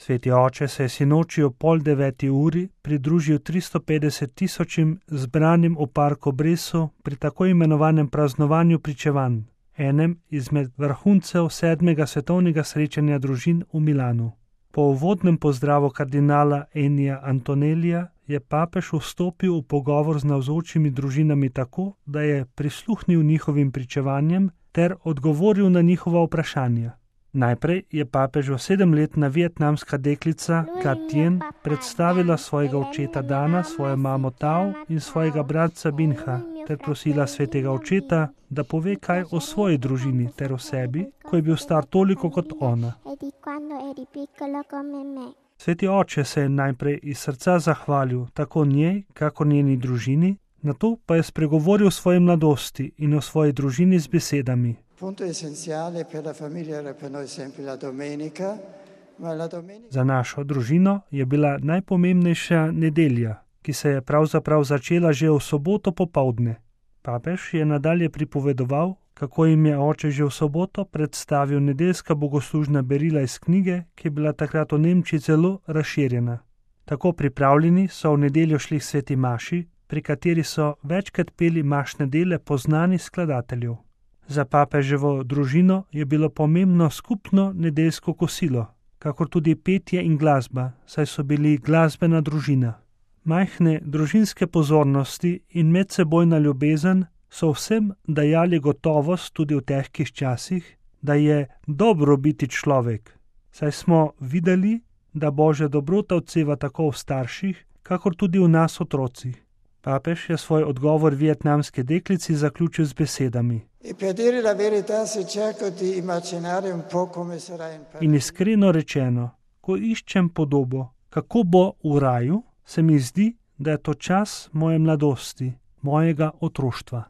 Sveti oče se je sinoči ob 8:30 pridružil 350 tisočim zbranim v parku Bresu pri tako imenovanem praznovanju pričevanj, enem izmed vrhuncev 7. svetovnega srečanja družin v Milanu. Po uvodnem pozdravu kardinala Ennija Antonellija je papež vstopil v pogovor z navzočimi družinami tako, da je prisluhnil njihovim pričevanjem ter odgovoril na njihova vprašanja. Najprej je papežu 7-letna vietnamska deklica Katien predstavila svojega očeta Dana, svojo mamo Tao in svojega bratca Binha, ter prosila svetega očeta, da pove kaj o svoji družini ter o sebi, ko je bil star toliko kot ona. Sveti oče se je najprej iz srca zahvalil tako njej, kakor njeni družini, nato pa je spregovoril o svoji mladosti in o svoji družini z besedami. Za našo družino je bila najpomembnejša nedelja, ki se je pravzaprav začela že v soboto popoldne. Papež je nadalje pripovedoval, kako jim je oče že v soboto predstavil nedeljska bogoslužna berila iz knjige, ki je bila takrat v Nemčiji zelo razširjena. Tako pripravljeni so v nedeljo šli k sveti maši, pri kateri so večkrat peli mašne dele poznanih skladateljev. Za papeževo družino je bilo pomembno skupno nedeljsko kosilo, kakor tudi petje in glasba, saj so bili glasbena družina. Majhne družinske pozornosti in medsebojna ljubezen so vsem dajali gotovost tudi v težkih časih, da je dobro biti človek, saj smo videli, da Božja dobrota odseva tako v starših, kakor tudi v nas otrocih. Papež je svoj odgovor vietnamske deklici zaključil z besedami. In iskreno rečeno, ko iščem podobo, kako bo v raju, se mi zdi, da je to čas moje mladosti, mojega otroštva.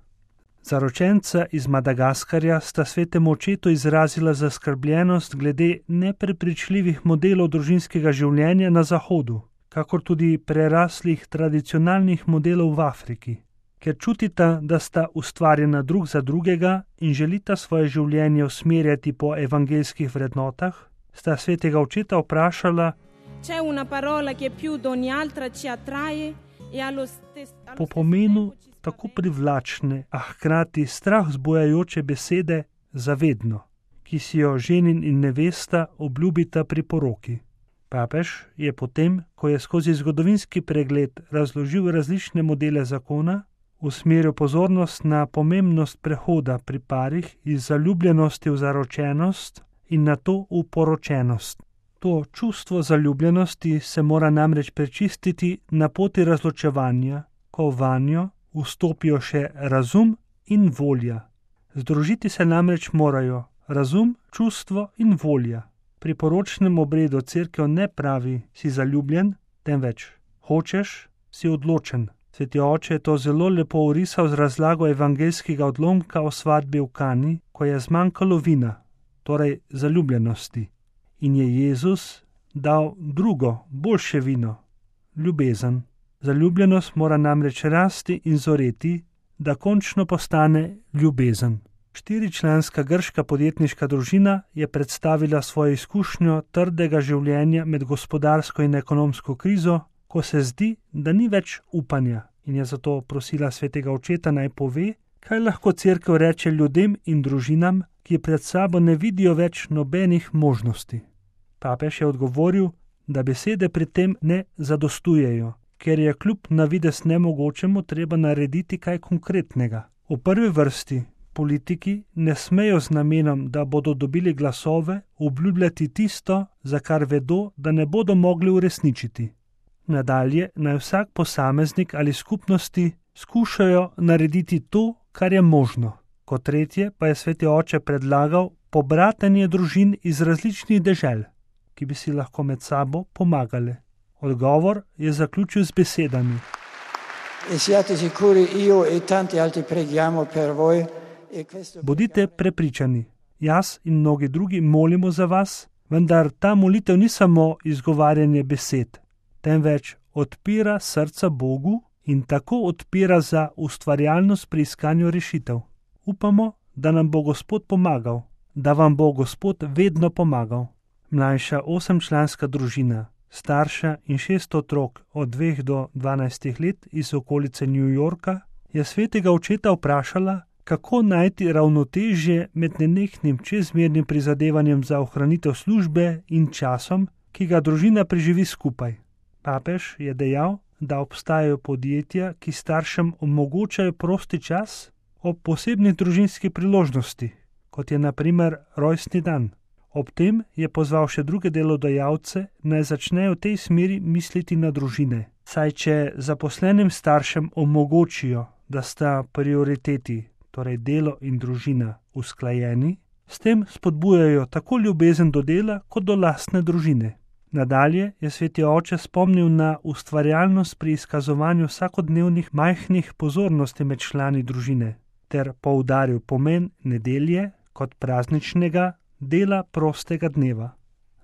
Zaročenca iz Madagaskarja sta svetemu očetu izrazila zaskrbljenost glede neprepričljivih modelov družinskega življenja na Zahodu, kakor tudi preraslih tradicionalnih modelov v Afriki. Ker čutita, da sta ustvarjena drug za drugega in želita svoje življenje usmerjati po evangeljskih vrednotah, sta svetega očeta vprašala, po pomenu tako privlačne, a hkrati strah vzbujajoče besede zavedno, ki si jo ženin in nevesta obljubita pri poroki. Papež je potem, ko je skozi zgodovinski pregled razložil različne modele zakona, usmeril pozornost na pomembnost prehoda pri parih iz zaljubljenosti v zaročenost in nato v poročenost. To čustvo zaljubljenosti se mora namreč prečistiti na poti razločevanja, ko vanjo vstopijo še razum in volja. Združiti se namreč morajo razum, čustvo in volja. Pri poročnem obredu cerkev ne pravi, si zaljubljen, temveč hočeš, si odločen. Sveti oče je to zelo lepo orisal z razlago evangeljskega odlomka o svadbi v Kani, ko je zmanjkalo vina, torej zaljubljenosti. In je Jezus dal drugo, boljše vino, ljubezen. Zaljubljenost mora namreč rasti in zoreti, da končno postane ljubezen. 4-članska grška podjetniška družina je predstavila svojo izkušnjo trdega življenja med gospodarsko in ekonomsko krizo, ko se zdi, da ni več upanja, in je zato prosila svetega očeta naj pove, kaj lahko cerkev reče ljudem in družinam, ki pred sabo ne vidijo več nobenih možnosti. Papež je odgovoril, da besede pri tem ne zadostujejo, ker je kljub na videz nemogočemu treba narediti kaj konkretnega. V prvi vrsti politiki ne smejo z namenom, da bodo dobili glasove, obljubljati tisto, za kar vedo, da ne bodo mogli uresničiti. Nadalje naj vsak posameznik ali skupnosti skušajo narediti to, kar je možno. Kot tretje pa je sveti oče predlagal pobratenje družin iz različnih dežel, ki bi si lahko med sabo pomagale. Odgovor je zaključil z besedami. Bodite prepričani, jaz in mnogi drugi molimo za vas, vendar ta molitev ni samo izgovarjanje besed, temveč odpira srca Bogu in tako odpira za ustvarjalnost pri iskanju rešitev. Upamo, da nam bo Gospod pomagal, da vam bo Gospod vedno pomagal. mlajša 8-članska družina, starša in 6 otrok od 2 do 12 let iz okolice New Yorka, je svetega očeta vprašala, kako najti ravnotežje med nenehnim čezmernim prizadevanjem za ohranitev službe in časom, ki ga družina preživi skupaj. Papež je dejal, da obstajajo podjetja, ki staršem omogočajo prosti čas ob posebnih družinskih priložnosti, kot je na primer rojstni dan. Ob tem je pozval še druge delodajalce, naj začnejo v tej smeri misliti na družine. Saj če zaposlenim staršem omogočijo, da sta prioriteti, torej delo in družina, usklajeni, s tem spodbujajo tako ljubezen do dela kot do lastne družine. Nadalje je sveti oče spomnil na ustvarjalnost pri izkazovanju vsakodnevnih majhnih pozornosti med člani družine ter poudaril pomen nedelje kot prazničnega dela prostega dneva.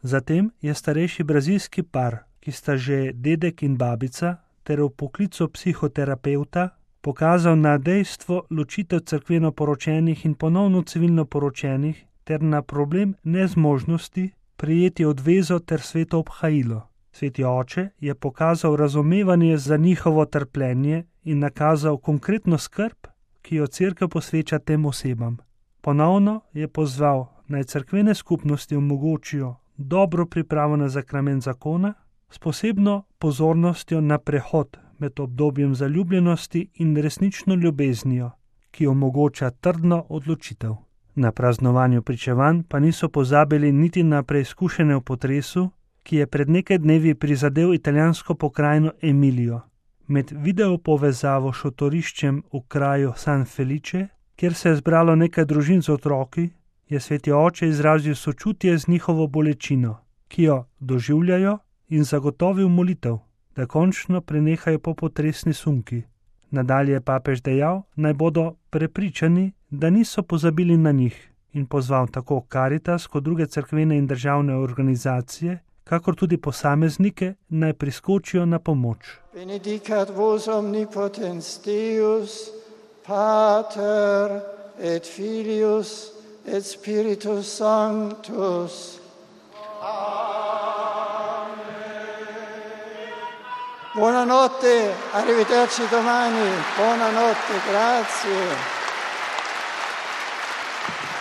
Zatem je starejši brazilski par, ki sta že dedek in babica, ter v poklicu psihoterapevta pokazal na dejstvo ločitev cerkveno poročenih in ponovno civilno poročenih ter na problem nezmožnosti prijeti odvezo ter sveto obhajilo. Sveti oče je pokazal razumevanje za njihovo trpljenje in nakazal konkretno skrb, ki jo cerkev posveča tem osebam. Ponovno je pozval, naj cerkvene skupnosti omogočijo dobro pripravo na sakrament zakona s posebno pozornostjo na prehod med obdobjem zaljubljenosti in resnično ljubeznijo, ki omogoča trdno odločitev. Na praznovanju pričevanj pa niso pozabili niti na preizkušene v potresu, ki je pred nekaj dnevi prizadel italijansko pokrajino Emilijo. Med video povezavo s šotoriščem v kraju San Felice, kjer se je zbralo nekaj družin z otroki, je sveti oče izrazil sočutje z njihovo bolečino, ki jo doživljajo, in zagotovil molitev, da končno prenehajo popotresni sunki. Nadalje je papež dejal, naj bodo prepričani, da niso pozabili na njih, in pozval tako Caritas kot druge cerkvene in državne organizacije, kakor tudi posameznike, naj priskočijo na pomoč. Benedicat vos omnipotens Deus, Pater et Filius et Spiritus Sanctus. Buonanotte, arrivederci domani, buonanotte, grazie.